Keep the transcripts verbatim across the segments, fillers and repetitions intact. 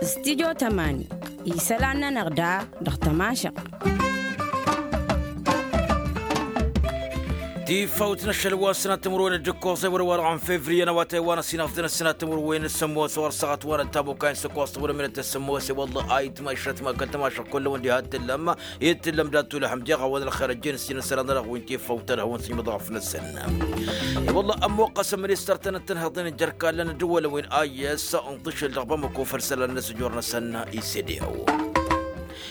Studyo tămani isălan-nănăɣ da dăɣ-tămašăɣt. Tifawt n-ašăl wa n-sănat timǝrwen d-ǝkkoẓ ewăr wa dăɣ-n fevriye n-awătay wa n-ăsinăɣ tăn-ăssinat timǝrwen s-ămoos ɣur-săɣăt wa n-ăttabukay n-săkkoẓ timǝrwen s-ămoos i-wălla a itmašăt ma kăl-tămašăɣ kull-wăn diha t-tǝllăm i-t-tǝllăm dat-tulăhăm deɣ a-wen ălxer ăjjeen s-inǝsălan n-ad-ăɣwin tifawt ad-hawăn-sǝjmăḍ ɣăf-năsăn. I-wălla ămmuqqăs ăministăr-tăn n-tǝnhǝḍen n-jer-kallăn ăddăwălăn wi n-ayǝs n-tǝšǝl dăɣ-bamăko făll-isălan n-asǝjor-năsăn ised i-aw.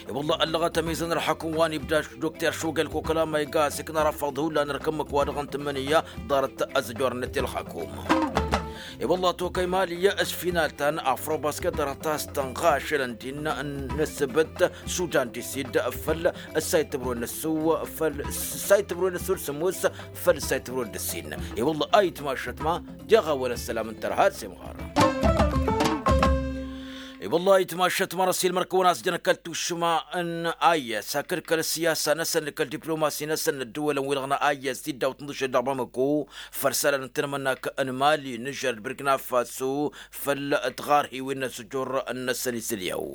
I-wălla ăllăɣăt ămizăn ălxakǝm wa n-ibda dokter šugel koklama iga a-s ikna rafăḍ hullan ărkǝmmǝk wa dăɣ-n tǝmmǝnǝya ḍarăt ăzăjor-net i-ălxakǝm. I-wălla tokăy mali s-final ta n-afrobasket dăr-ta s-tănɣa ašălăn din n-ăssăbăt sudan disid făll-ăssayt tǝbrwen n-ăssu făll-ăssayt tǝbrwen n-ăssu d-sămus făll-ăssayt tǝbrwen d-ăssin. I-wălla a itmašăt ma deɣ a-wen ăssălam n-tărha d-semɣar. I-wălla itmašăt ma răssi l-mărkăwăn a-s jăn kăl-tušma n-ayya s-hakd kăl-siyasa-năsăn kăl-diplomasi-năsăn n-ăddăwălăn wi-dăɣ n-ayya s-tiddawt n-dăšel dăɣ-bamăko făll-isălan n-tinămănnak n-mali n-žăr d-birkna faso făll-tiɣarhiwin n-asǝjur-năsăn isǝlyaw.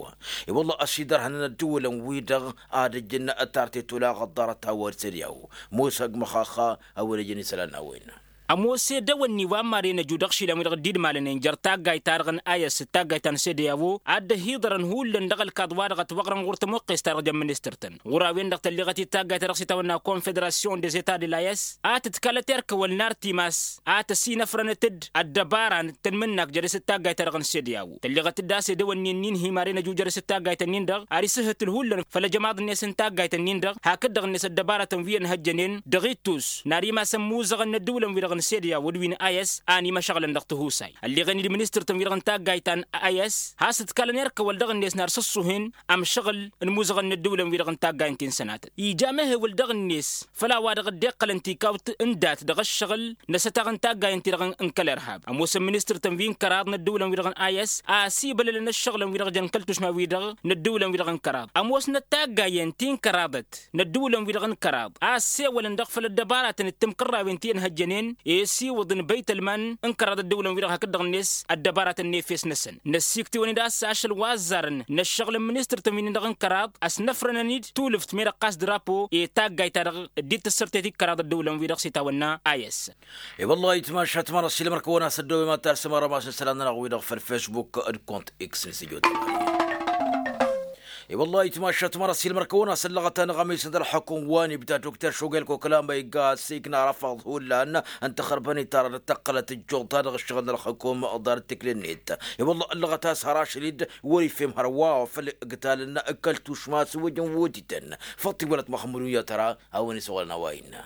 I-wălla ăsidărhănăn ăddăwălăn-wi-dăɣ ad-ǝjǝn tartet olaɣ ăḍḍarăt a-wa isǝlyaw. Musa g-măxaxa a-wen ǝjǝn isălan n-a-wen. Ămoos edăwănni wa n-maren ăju dăɣ-išilan-wi-dăɣ dd-idmalănen jer-taggayt-ta-dăɣ n-ayăs d-taggayt ta n-sede i-a-wo ad-dd-ăhiḍărăn hullan dăɣ-ălkaḍ wa dăɣ-ătwăɣrăn ɣur-tămoqqes-ta-dăɣ jăn ministăr-tăn ɣur-a-wen-dăɣ tălleɣăt-dd taggayt-ta-dăɣ s-itawănna confederasyon des etats de layăs a tǝtkalăt erk ăwăl n-artimas a tăsinăfrănăt-dd ăddăbara n-tănmǝnnak jere-s d-taggayt-ta-dăɣ n-sede i-a-wo tălleɣăt-dd a-s edăwănni ǝnnin hi-maren ăju jere-s d-taggayt-ǝnnin-dăɣ ar isǝhǝtǝl hullan făll-ăjămaḍ-net n-taggayt-ǝnnin-dăɣ hakd-dăɣ-net ăddăbarătăn wi ănhăjjănen dăɣ-ittus n-ar imas ămmuzăɣăn n-ăddǝwǝlăn-wi-dăɣ n-sede i-a-wo d-wi n-ayăs a ănimăšăɣlăn dăɣ-tihusay ălleɣen-dd ministăr-tăn-wi-dăɣ n-taggayt ta n-ayăs has-ǝtkalăn erk ăwăl dăɣ-net n-ar sǝṣṣuhen ămšăɣǝl n-imuzăɣăn n-ăddǝwǝlăn-wi-dăɣ n-taggay n-ti n-sănatăt ija amehewăl dăɣ-net făll-a-wa-dăɣ dd-iqqălăn tikawt n-dat dăɣ-ǝššăɣǝl n-asătaɣ n-taggay ǝnta-dăɣ n-kăl-irhab ămoosăn ministăr-tăn wi n-kăraḍ n-ăddǝwǝlăn-wi-dăɣ n-ayăs a ăsibălălăn ǝššăɣǝlăn-wi-dăɣ jăn kăl-tušma-wi-dăɣ n-ăddǝwǝlăn-wi-dăɣ n-kăraḍ ămoosnăt taggayen ti n-kăraḍăt n-ăddǝwǝlăn-wi-dăɣ n-kăraḍ a ăssewălăn dăɣ-făll-ăddăbaratăn d-timkărrawen ti ănhăjjănen i-asiwǝḍ n-băytălman n-kăraḍ ăddăwǝlăn-wi-dăɣ hakd-dăɣ-net ăddăbaratăn n-efes-năsăn năssiktewăn-dd a-s ašăl wa ăzzarăn n-ăššăɣǝl n-ministăr-tăn wi-dăɣ n-kăraḍ ăsnăfrănăn-dd tulǝft me-dăɣ ɣas drapo i-taggayt-ta-dăɣ dd-tǝssărtet i-kăraḍ ăddăwǝlăn-wi-dăɣ s-itawănna a i-ăssăn. I-wăllah itmašat măra s-ilmăr-kăwăn-as ăddoobe ma t-arsăm arămas n-isălan-nănăɣ wi-dăɣ făll-facebook d-kont x n-sijot. I-wăllah itmašat măra s-ilmăr-kăwăn-as ăllăɣăt-anăɣ ămisăn d-ălxukǝm wa n-ibda dokter šugel koklama igga a-s ikna arăfaḍ hullan n-taxărbănit ara dd-tăqqălăt ăjjuḍ-ta-dăɣ ǝššăɣǝl n-ălxukǝm ḍarăt tikli-net. I-wăllah ăllăɣăt a-s har ašăl-dd wăr-ifhem hărwa făll-iqtalăn kăl-tušma s-wăjăn wutităn. Făṭṭi wălăt măxmăd uyyăt ara a-wen isăwălăn a-wa innă.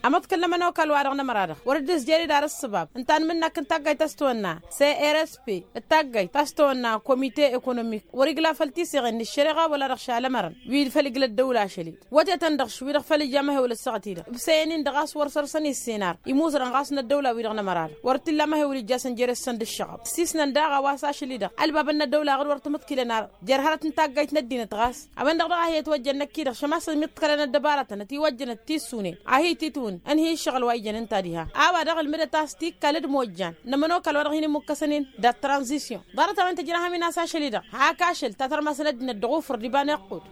Amăḍkǝl n-ămănokal-wa-dăɣ n-ămăra-dăɣ wăr dd-ǝzjer-dd ar ǝssǝbab ǝnta n-imǝnnak n-taggayt ta s-tawănna crp d-taggayt ta s-tawănna komite ekonomik wăr-igla făll-tiseɣen n-ǝššăreɣa wăla dăɣ-šalămărăn wi făll-igla ăddăwla ašăl-dd wătetăn dăɣ-š wi-dăɣ făll-ija amăhewăl ăssaɣăt-i-dăɣ ǝbsăyăn-in-dăɣ a-s wăr săr-săn issenar imuzărăn ɣas n-ăddăwla wi-dăɣ n-ămăra-dăɣ wăr t-illa amăhewăl ijjasăn jere-săn d-ǝššăɣăb ǝssisnăn daɣ a-wa s-ašăl-i-dăɣ ălbabăn n-ăddăwla aɣǝd wăr tămǝḍkǝlăn ar jer-hărăt n-taggayt n-ăddinăt ɣas a-wen-dăɣ daɣ a hi-ătwăjjăn năkk-i-dăɣ šămasăn miḍkălăn ăddăbarătăn ătiwăjjăn ăttissunen a hi-titwǝn ǝnhǝy ǝššăɣǝl wa ijăn ǝnta diha. A-wa dăɣ-ǝlmǝdăt a-s tikkal d-imojjan n-ămănokal wa dăɣ-hin-imukkăsăn-in dat-tranzisyon ḍarăt-a-wen tǝjrăhăm-in a-s ašăl-i-dăɣ hak ašăl ta tărmasăn ăddinăt dăɣ-ufǝr d-iba n-iqqud.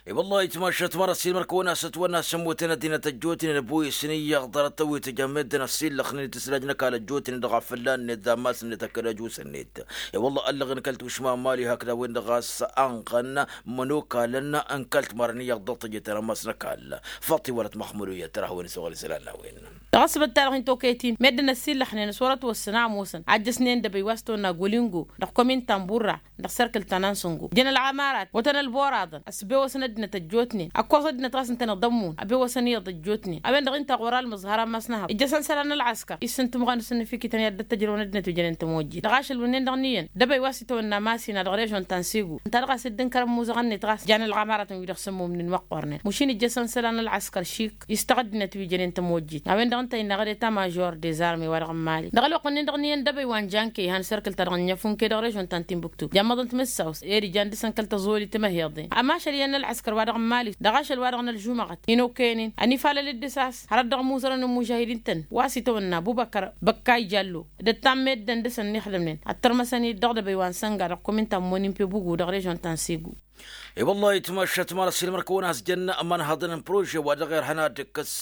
I-wăllah itmašat măra s-ilmăr-kăwăn-as ătwănna s-ămmutăn ăddinăt ăjjootnen ăboyăsăn iyyăɣ ḍarăt-ăwwit ăjămedden ăssillăxnen d-tǝslaj n-ăkall ăjjootnen dăɣ-afălla-net d-ammas-net ăkkăd ăjus-net. I-wăllah ăllăɣen kăl-tušma n-mali hakd a-wen-dăɣ a-s anɣăn mănokalăn n-kăl-timarăn iyyăɣ dăɣ-tejeten ammas n-ăkall. Făṭṭi wălăt măxmădu iyyăt tărha a-wen isăwăl isălan n-a-wen. Dăɣ-ăsbăt-ta-dăɣ hin-tokăyăt-in meddǝn ăssillăxnen s-wăr-ătwăssăn a ămoosăn a ǝjjăsnen d-ebăy wa s-tawănna golingo dăɣ-komin tambura dăɣ-sărkǝl ta n-ansǝngo jăn ălɣămarat wătăn ălboraḍăn ăsbewăsăn ăddinăt ăjjootnen ăkkoẓ ăddinăt ɣas ǝntăneḍ ămmun ăbewăsăn iyyăḍ ăjjootnen a-wen-dăɣ inta ɣur-almǝẓhăr ammas n-ehăḍ ǝjjăsăn isălan n-ălɣăskăr. Issǝntǝmɣăn s-ǝnnǝfikităn i-ad-dd-ăttăjrăwăn ăddinăt wi jănen tămojjit dăɣ-ašăl wǝnnin-dăɣ n-iyyăn d-ebăy wa s-itawănna masina dăɣ-režon ta n-sego ǝnta dăɣ-a-s dd-ǝnkărăn imuzăɣăn-net ɣas jan ălɣămaratăn wi-dăɣ sǝmmumnen măqqornen mušin ǝjjăsăn isălan n-ălɣăskăr šik istăɣ ăddinăt wi jănen tămojjit a-wen-dăɣ. Ǝnta innă ɣăr eta mažor dezarme wa-dăɣ n-mali dăɣ-ălwăqq-nin-dăɣ n-iyyăn dăbăy wa n-janke ihan serkǝl-ta-dăɣ n-inyăfun ke dăɣ-režon ta n-timbuktu jammăḍăn timǝssaw s-eri jan dăr-săn kăl-tăẓoli timăheḍen ămašăl iyyăn n-ălɣăskăr wa-dăɣ n-mali dăɣ-ašăl wa-dăɣ n-ălžumăɣăt inokăyăn-in ănifalăl d-ǝsas hărăt dăɣ-imuzărăn n-imužahidin-tăn wa s-itawănna bubăkăr băkkay jallo d-ăttan meddǝn dăr-săn ănixdămnen ăttărmăsăn-dd dăɣ-dăbăy wa n-sănga dăɣ-kumin ta n-monin pe bugu dăɣ-režon ta n-segu. I-wăllah itmašat ma n-ăssiilmăr-kăwăn a-s jăn ămanhăḍăn n-prože wa dăɣ-irhăn ad-dd-ǝkkǝs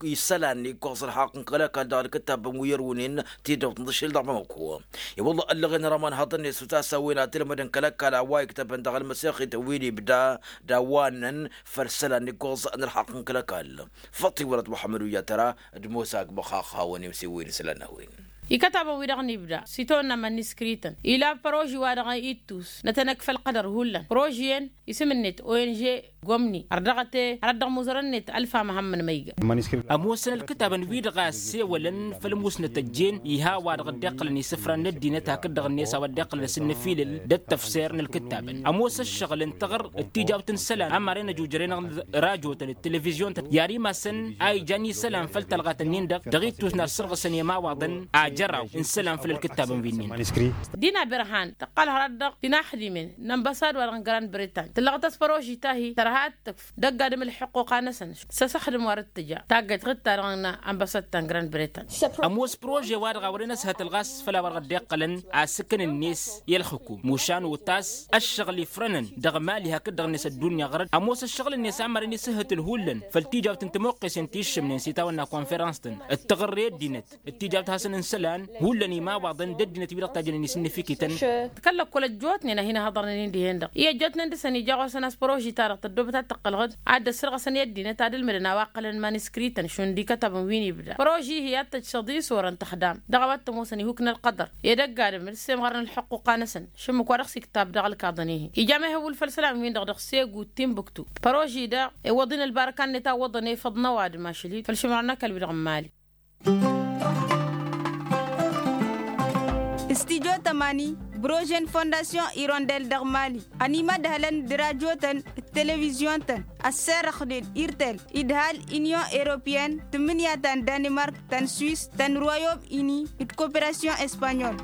isălan iggăẓ ălxaqq n-kăl-ăkall dăɣ-alkǝttabăn wi ărwǝnen tidăwt n-tăšil dăɣ-bamăko. I-wăllah ăllăɣen rămănhăḍăn-net s-utasawwen ad-tǝlmădăn kăl-ăkall a-wa iktăbăn dăɣ-ălmăsexit wi n-ibda d-a-wa ǝnnăn făll-isălan iggăẓ n-ălxaqq n-kăl-ăkall. Făṭṭi wălăt muḥămmăd ujatăra d-mosa agmăxax hawăn-imsiwǝyăn isălan n-a-wen. Ikătabăn-wi-dăɣ n-ibda s-itawănna iman-iskrǝytăn ila proži-wa-dăɣ ittus n-ad-tăn-ăkf ălqădăr hullan proži-en isǝm-net ong gomni ărdăɣăt e hărăt dăɣ-imuzărăn-net ălfa măhămmăn ma iga. Ămoosăn ǝlkǝtabăn-wi-dăɣ a ăssewălăn făll-musnăt ăjjeen iha a-wa-dăɣ dd-iqqălăn isǝfran n-ăddinăt hakd-dăɣ-net a-wa dd-iqqălăn asǝnnăfilǝl d-ăttăfser n-ǝlkǝtabăn ămoos ǝššăɣǝl ǝntăɣăr d-tijawt n-isălan ămaren ăjujăr-enăɣ d-rajotăn d-televizyon-tăn i-ad-imasăn a ijan isălan făll-talɣat-ǝnnin-dăɣ dăɣ-ittus n-ad-sărɣǝsăn i-imawaḍăn ajăraw n-isălan făll-ǝlkǝtabăn wi-ǝnnin. Dina berhan tăqqal hărăt dăɣ-tinaxdimen n-ănbăsad wa-dăɣ n-grand bretagne tǝllăɣăt-as păroži ta-hi tărha ad-tǝkf d-ăgg-adǝm ǝlḥǝqquqa-năsăn s-asăxdǝm wa dăɣ-tǝja taggăyt ɣǝd-ta-dăɣ n-ănbăsad ta n-grand bretagne. Ămoos prože-wa-dăɣ a wărăn ăshătăl ɣas făll-a-wa-dăɣ dd-iqqălăn asǝkǝn-net i-ălxǝkum mušan otas ăššăɣǝl ifrănăn dăɣ-mali hakd-dăɣ-net ăddunya ɣărăt ămoos ǝššăɣǝl-net a mărăn isǝhhǝtǝl hullan făll-tijawt n-tămoqqesen ti ǝššǝmnen s-itawănna konferans-tăn d-taɣărre ăddinăt d-tijawt hasăn-n isălan hullan imawaḍăn d-ăddinăt-wi-dăɣ tajjănen isǝnnǝfikităn. Tǝkăl-ăkkol ăjjootnen a hin-ăhăḍărnen-in dihen-dăɣ i-ăjjootnen dăr-săn ija ɣur-săn a-s păroži-ta-dăɣ tăddoobăt ad-tăqqăl ɣǝd ad-dd-ăssărɣăsăn i-ăddinăt ad-ǝlmǝdăn a-wa ǝqqălăn iman-iskrǝytăn šund ikătabăn wi n-ibda păroži-hi ad-tăjj săḍis orăn tăxdam dăɣ-a-wa t-ămoosăn ihuk n-ălqădăr ed ăgg-adǝm d-semɣărăn ǝlḥăqquqa-năsăn šǝmmǝk wa dăɣ-s iktab dăɣ-ălkaḍăn-i-hi ija ma ihăwwǝl făll-isălan-win-dăɣ dăɣ-segu d-timbuktu păroži daɣ iwwăḍ-in ălbarăka-net a ǝwwăḍăn efăḍ n-ăwadǝm ašăl-i făll-išǝmrăn n-ăkall-wi-dăɣ n-mali. Studyo tămani brožen fondasyon irondel dăɣ-mali ănimădhălăn d-rajotăn d-televizyon-tăn ăsserăxnen irtel idhal inyon europeyăn tǝmmǝnǝya ta n-danimark ta n-swis ta n-royom ini d-koperasyon espanyol.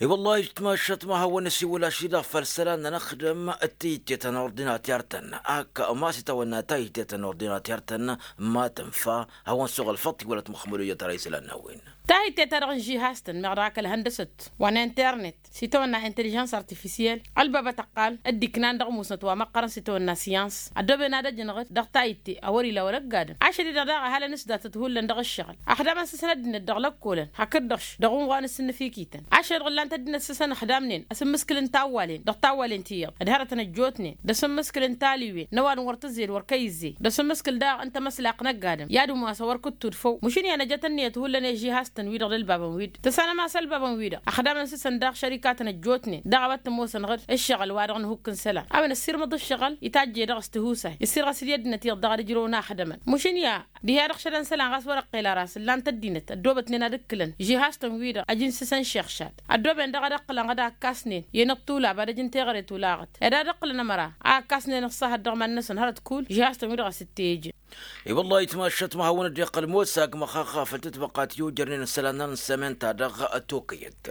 I-wăllah ijtmašăt ma hawăn-ăsiwǝl ašli-dăɣ făll-isălan n-anăxdăm d-tayǝtte ta n-ordinater-tăn ak ma s-itawănna tayǝtte ta n-ordinater-tăn ma tǝnfa hawăn-suɣǝl făṭṭ i-wălăt muxămmăd ojăt ara isălan n-a-wen. Tayǝtte-ta-dăɣ n-žihaz-tăn meɣ dăɣ-ak ălhăndăsăt wa n-internet s-itawănna intelijans artifisyel ălbabăt ăqqal dd-iknan dăɣ-musnăt wa măqqărăn s-itawănna syans ăddooben ad-ăjnăɣ-t dăɣ-tayǝtte a wăr-ila wăr ăgg-adǝm ašăl-i-dăɣ daɣ ăhalăn s-datăt hullan dăɣ-ǝššăɣǝl ăxdamăn s-săn ăddinăt dăɣ-lăkkolăn hakd-dăɣ-š dăɣ-unɣan s-innăfikităn ašăl-i-dăɣ ǝllan-t ăddinăt s-săn ăxdamnen asǝmmǝskǝl n-tawwalen dăɣ-tawwalen ti iyyăḍ d-hărătăn ăjjootnen d-asǝmmǝskǝl n-taliwen n-ăwadǝm wăr tǝzzed wăr kăy-ǝzzey d-asǝmmǝskǝl daɣ n-tamăslaqt n-ăgg-adǝm i-ad-ǝmwas a wăr kǝttudfăw măšǝn i-ad-năjăt ǝnniyăt hullan i-žihaz-tăn-wi-dăɣ d-ălbabăn-wi-dăɣ tăsanăm a-s ălbabăn-wi-dăɣ ăxdamăn s-săn daɣ šărikatăn ăjjootnen daɣ a-wa t-ămoosăn ɣǝd ǝššăɣǝl wa dăɣ-nǝhukk n-isălan a-wen ăssirmăḍ ǝššăɣǝl itajje dăɣ-s tihusay ǝssirɣăs d-i ăddinăt iyyăḍ dăɣ-ad-ǝjrăwăn axdămăn măšǝn i-a dihe-dăɣ šădăn isălan ɣas wăr-ăqqel ara a-s ǝllan-t ăddinăt ăddoobătnen ad-ǝkkǝlăn žihaz-tăn-wi-dăɣ ăj n-sǝsăn šexšad ăddooben daɣ ad-ăqqǝlăn ɣǝd a ǝkkasnen i-inăṭṭulab ad-ăj n-teɣăre tulaɣăt ed ad-ăqqǝlăn ămăra a ǝkkasnen ăṣṣahăt dăɣ-iman-năsăn hărăt kull žihaz-tăn-wi-dăɣ a-s t-tejăn. I-wăllah itmašăt ma hawăn-dd-iqqăl mosa agmăxaxa făll-tǝtbăqqa ti ojărnen isălan n-sămen-ta-dăɣ tokăyăt.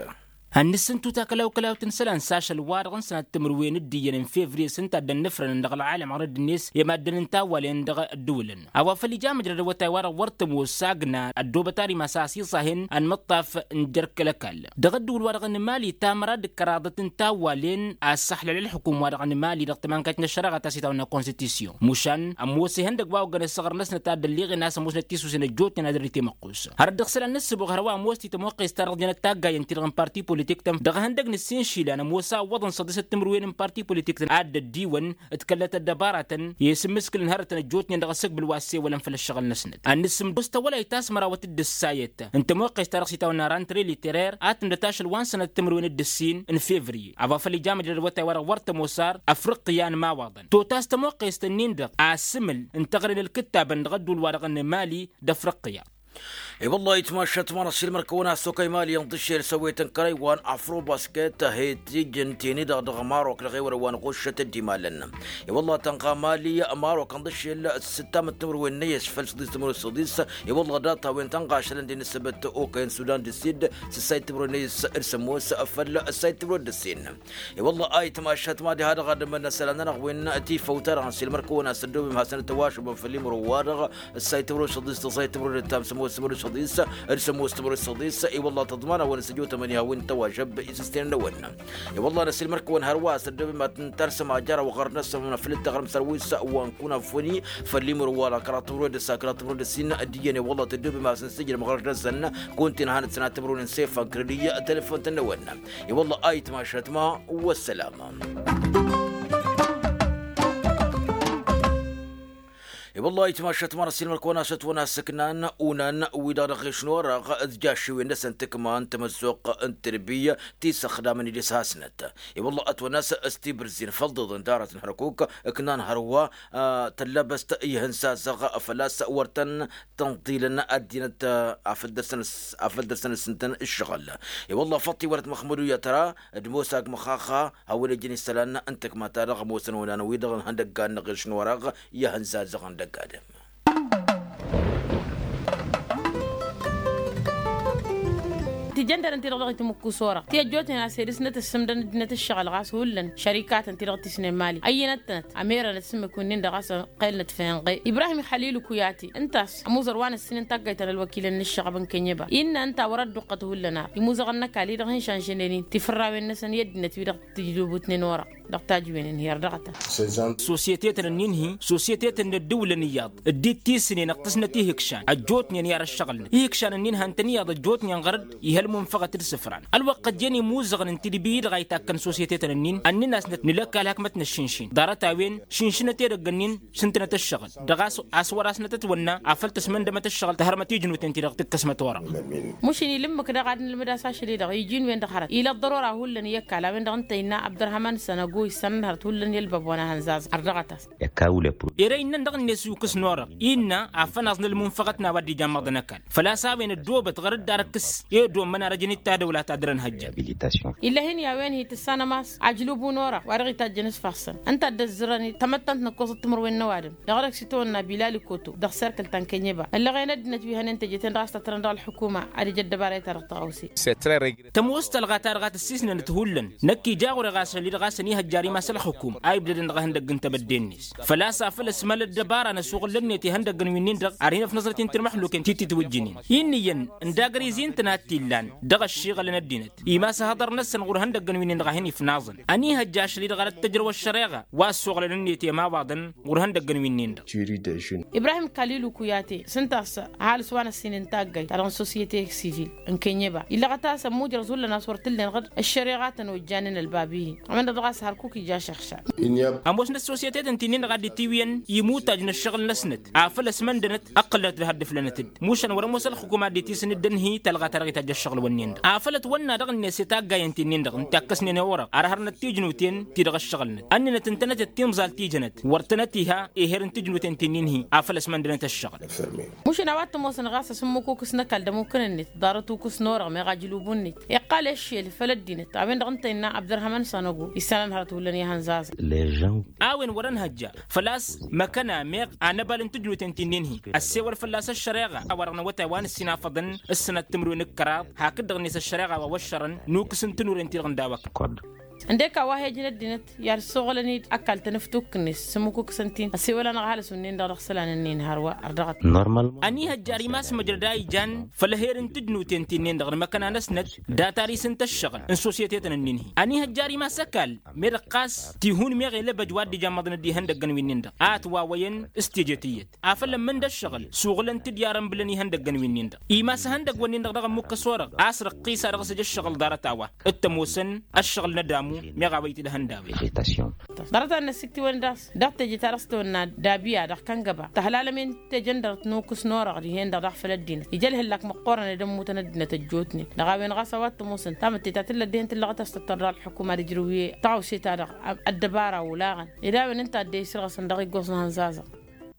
Ad-nǝssǝntu takălaw-kălawt n-isălan s-ašăl-wa-dăɣ n-sănat timǝrwen d-iyyăn n-fevriye s-ǝnta a dd-ănnăfrănăn dăɣ-ălɣalăm ɣărădd-net i-maddǝn n-tawwalen dăɣ-ăddǝwǝlăn a-wa făl-ija măjrăd awătay wa-dăɣ wăr tămoos agna ăddoobăt ar imas a-s iṣahen ănmăṭṭaf n-jer-kăl-ăkall dăɣ-ăddǝwǝl-wa-dăɣ n-mali tamăra d-kăraḍăt n-tawwalen a ăssaxlăl ălxukum wa-dăɣ n-mali dăɣ-tămankayt n-ăššăreɣăt a-s itawănna konstitisyon mušan ămoos ihăndăgg wa oggăn ăssaɣăr-năsnăt a dd-ălliɣen a-s ămoosnăt tisusen ăjjootnen ad-ărrit i-măqqus hărăt dăɣ-isălan n-ǝssǝboɣ hărwa ămoos titămoqqest-ta-dăɣ jănăt taggayen-ti-dăɣ n-parti politik-tăn dăɣ-ihăndăgg n-ǝssin išilan ămoos a ǝwwăḍăn săḍisăt timǝrwen n-parti politik-tăn a dd-ăddiwăn d-kăllăt ăddăbaratăn i-asǝmmǝskǝl n-hărătăn ăjjootnen dăɣ-asǝkbǝl wa ăssewălăn făll-ǝššăɣǝl-năsnăt ad-nǝssǝmdus tawălayt ta s-mărawăt d-ǝssayăt n-tămoqqest-ta-dăɣ s-itawănna rant reliterer a tǝndăt ašăl wa n-sănat timǝrwen d-ǝssin n-fevriye a-wa făl ija măjrăd awătay wa-dăɣ wăr tămoos ar ăfrǝqqǝya n-imawaḍăn totas tămoqqest-nin-dăɣ asǝmǝl n-teɣăre n-ǝlkǝttabăn dăɣ-ădduul-wa-dăɣ n-mali d-ăfrǝqqǝya. I-wălla ayǝtmašat ma n-asilmăr-kăwăn-as okăy mali ănḍǝššel s-ăwwetăn kărăy wa n-afrobasket he-tijǝn teni-dăɣ dăɣ-marok dăɣ-ewăr wa n-ɣuššăt ăddimalăn. I-wălla tănɣa mali marok ănḍǝššel s-sǝttam d-timǝrwen n-eyyăs făll-săḍis timǝrwen săḍis. I-wălla data-wen tănɣašălăn d-inǝssǝbăt okăyăn sudan d-sid s-ăssayt timǝrwen n-eyyăs d-sămoos făll-ăssayt timǝrwen d-ǝssin. I-wălla ayǝtmašat ma diha-dăɣ ad-ămănnăsăl anănăɣ-wen tifăwt-a-dăɣ n-silmăr-kăwăn-as ăddobem hasăn-ătwăšubăm făll-imǝrǝwwa-dăɣ ăssayt timǝrwen săḍis d-ăssayt timǝrwen d-ǝttam sămoos timǝrwen săḍis d-sămoos timǝrwen săḍis. I-wălla tăḍmanăwăn s-ăjotămăn i-hawăn tăwăžăb isǝstenen-năwăn. I-wălla n-asilmăr-kăwăn hărwa s-ăddobem ad-tǝntărsăm ajăraw ɣur-năsăm făll-ǝtteɣrǝm sărwis wa n-kunafoni făll-imǝrǝwwa-dăɣ kăraḍ timǝrwen d-ǝssa kăraḍ timǝrwen d-ǝssin. D-iyyăn i-wălla tăddobem ad-săn-sǝjrǝm ɣur-năsăn kuntin hanăt-sănat timǝrwen n-sefan kredǝy telefont-năwăn. I-wălla ayǝtmašat ma. Wăssălam. I-wălla ayǝtmašat ma n-asilmăr-kăwăn-as ătwăn-as ǝknan unan wi-dăɣ dăɣ-ešnorăɣ d-jaššiwen-năsăn tǝkma n-tamăzzuɣt n-tǝrbiy ti s-ăxdamăn idis hasnăt. I-wălla ătwăn-as s-tibǝrzin făll-iḍeḍen d-arat n-hărkuk ǝknan hărwa tăllăbăst ihǝnzazăɣ făl-a-s wăr tăn-tănḍilăn ăddinăt. Afăl dăr-săn ǝssǝntăn ǝššăɣǝl. I-wălla făṭṭi wăr-ătmăxmădu i-ătra d-ămoos agmăxaxa hawăn-ejăn isălan n-tǝkma-ta-dăɣ ămoosăn onan-wi-dăɣ n-ihăndăggan n-aɣilš n-orăɣ i-ihănzazăɣ n-dăgg-adǝm. Tijăndărăn-ti-dăɣ dăɣ-itmǝkkus orăɣ ti ăjjootnen a-s ed s-năt ǝssǝmdăn ăddinăt ǝššăɣǝl ɣas hullan šărikatăn-ti-dăɣ tisnen mali ăyyănăt-tănăt ămerănăt s-ǝmmǝk-win-nin-dăɣ a-s ăqqelnăt fenɣe ibrahim xalilu kuyati ǝnta a-s ămuẓăr wa n-ǝssin n-taggayt ta n-ălwăkilăn n-ǝššăɣăb n-kănyăba innă ǝnta a wăr-ădduqqăt hullan ar imuzăɣăn n-ăkall-i-dăɣ hin-šanžănen-in tifărrawen-năsăn i-ăddinăt-wi-dăɣ tǝjdǝbutnen orăɣ dăɣ-tajǝwen-in hi-ărdăɣăt-as. Sosyetetăn-ǝnnin-hi sosyetetăn n-ăddǝwǝlăn iyyăḍ dd-ittisǝnen ăṭṭăsnăt ihǝkšan ăjjootnen i-ad-ăššăɣǝlnăt ihǝkšan-ǝnnin han-tăn iyyăḍ ăjjootnen ɣărăt ihălmun făɣăt d-isǝfran ălwăqq ăjjeen imuzăɣăn n-tidbi-i-dăɣ a itakkăn sosyetetăn-ǝnnin ănnǝn-asnăt nǝlăkk alhăkmăt n-ăššinšin ḍarăt-a-wen šǝnšǝnăt edăgg-ǝnnin šǝntǝnăt ǝššăɣǝl dăɣ-a-s wăr-asnăt ătwănna afăl tăsmăndămăt ǝššăɣǝl tăhărmăt ijnuten-ti-dăɣ tǝkkăsmăt orăɣ. Mušǝn ilǝmmǝk daɣ ad-nǝlmǝd-as ašăl-i-dăɣ iji n-wen-dăɣ hărăt ila ăḍḍărora hullan i-ăkall a-wen-dăɣ ǝnta innă abdărhaman sănăgo issanăn hărăt hullan i-ălbab wa n-ahănzazăɣ ărdăɣăt-as. Ere innăn dăɣ-net ukǝs n-orăɣ innă afănaẓ n-ălmunfăɣăt n-a-wa dd-ija ămmăḍăn ăkall făl-a-s a-wen ăddoobăt ɣăr dd-arǝkkǝs i-dd-ommăn arăjăn-dd tadăwla ta dăr-ănhăjja. Illa hin-i a-wen hi-tǝssanăm a-s ajlǝbu n-orăɣ wa dăɣ-itajjăn s-ifassăn ǝnta a dd-ăzzărăn tamăttant n-ǝkkoẓăt timǝrwen n-ăwadǝm dăɣ-dăɣ s-itawănna bilal ikoto dăɣ-serkǝl ta n-kănyeba ăllăɣen ăddinăt wi hănen teje-ten-dăɣ a-s tătrăn dăɣ-ălḥukuma ad-ija ăddăbara i-ta-dăɣ tăɣawse. Tămoos tălɣa ta dăɣ-a tǝssisnănăt hullan năkk ija ɣur-e ɣas ălli-dăɣ a-s ănihăjjar imas ălxukum a ibdădăn dăɣ-ihăndăgg n-tebădde-net făl-a-s afăl ăsmăl ăddăbara n-asuɣǝl-net ihăndăgg n-winnin-dăɣ ar hin-ăfnăẓrăt-in tǝrmăxlukăn ti-tǝtwǝjjǝnen. Inn'-iyyăn ǝndagăr izi ǝntăna a t-illan dăɣ-ăššiɣălăn ăddinăt imas ahăḍăr-năsăn ɣur-ihăndăgg n-winnin-dăɣ a hin-ifnaẓăn ănihăjja ašăl-i-dăɣ ad-ăttăjrăw ăššăreɣa wa ăssuɣǝlăn-net i-ămawaḍăn ɣur-ihăndăgg n-winnin-dăɣ. Ibrahim kalilu kuyate s-ǝnta a-s ăhalǝs wa n-ăssin n-taggayt ta dăɣ-n sosyete sivil n-kenyeba illăɣăt a-s ămmujrăẓ hullan a-s wăr t-ǝllen ɣǝd ăššăreɣatăn ojjanen ălbab-i-hi. Ămăndăɣ dăɣ-a-s hărkuk ija šăɣšar. Ămoosnăt sosyeteten ti-nin-dăɣ a dd-itiwǝyăn imuttaj n-ăššăɣǝl-năsnăt afăl ăsmăndănăt ǝqqǝlnăt d-ha dd-ǝflănăt-dd mušan wăr-ămoos ălxǝkum a dd-itisǝn dd-ănhǝy tălɣa ta dăɣ-itajj ăššăɣǝl-wǝnnin-dăɣ afăl ătwănna dăɣ-net i-taggayen ti-nin-dăɣ n-takkăsnen i-orăɣ ar hărnăt tijnuten ti-dăɣ ăššăɣǝlnăt ănnănăt ǝntănăt d-timẓalt tijănăt wăr tănăt-iha eher n-tijnuten ti-nin-hi afăl ăsmăndănăt ăššăɣǝl. Mušǝn a-wa t-ămoosăn ɣas asǝmmǝk ukǝs n-ăkall d-ămukǝn-net ḍarăt ukǝs n-orăɣ meɣ ajǝlubun-net iqqal eššel făll-ăddinăt a-wen-dăɣ ǝnta innă abdărhăman sanăgo issanăn hărăt hullan i-ihănzazăn. A-wen wăr-ănhăjja făl-a-s măkăna meɣ anăbal n-tǝjnuten ti-nin-hi ăssewăl fălla-s ăššăreɣa a-wa-dăɣ n-awătay wa n-ǝssin afăḍăn s-sănat timǝrwen d-kăraḍ hakd-dăɣ-net ăššăreɣa wa wăššărăn n-ukǝs n-tǝnuren-ti-dăɣ n-daw-ăkall. Ǝndek a-wa he-ǝjǝn ăddinăt i-ad-ǝssoɣălăn-dd ăkall tanǝft ukǝn-net s-ǝmmǝk ukǝsăn-t-in ăsewăl-anăɣ ăhalǝs unnin-dăɣ dăɣ-isălan-ǝnnin hărwa ărdăɣăt. Ănihăjjar imas măjrăd a ijan făll-eher n-tǝjnuten ti-nin-dăɣ d-măkăna-năsnăt data-ri s-ǝnta ăššăɣǝl n-sosyeteten ǝnnin-hi ănihăjjar imas ăkall meddǝɣ ɣas tihun meɣ elăbăj wa dd-ijammăḍăn dd-ihăndăggăn wi-nin-dăɣ a ătwawăyăn s-teje tiyyăt afăl ămmǝn d-ăššăɣǝl suɣǝlăn-t-dd i-arănbǝlăn ihăndăggăn-wi-nin-dăɣ imas ihăndăgg-wǝnnin-dăɣ dăɣ-ămmukăs orăɣ a-s răqqis a dăɣ-s ăj ăššăɣǝl ḍarăt-a-wa d-tămoosăn ăššăɣǝl n-ădamu meɣ a-wa itǝlhăn d-a-wen. Ḍarăt-a n-năsiktǝwăn d-a-s dăɣ-teje ta dăɣ-s tăwănna d-abǝya dăɣ-kăngăba tăhlalăm-in tejăn dăr-t n-ukǝs n-orăɣ dihen-dăɣ daɣ făll-ăddinăt ija ălhăllak măqqoorăn ed ămmutăn ăddinăt ăjjootnen dăɣ-a-wen ɣas a-wa t-ămoosăn tamǝtte ta tǝllăt dihen tǝllăɣăt a-s tăttăr dăɣ-ălxukuma d-ǝjrǝw i-tăɣawse-ta-dăɣ ăddăbara olaɣăn ed a-wen ǝnta a dd-e-isǝrɣǝsăn dăɣ-iggoẓ n-ihănzazăɣ.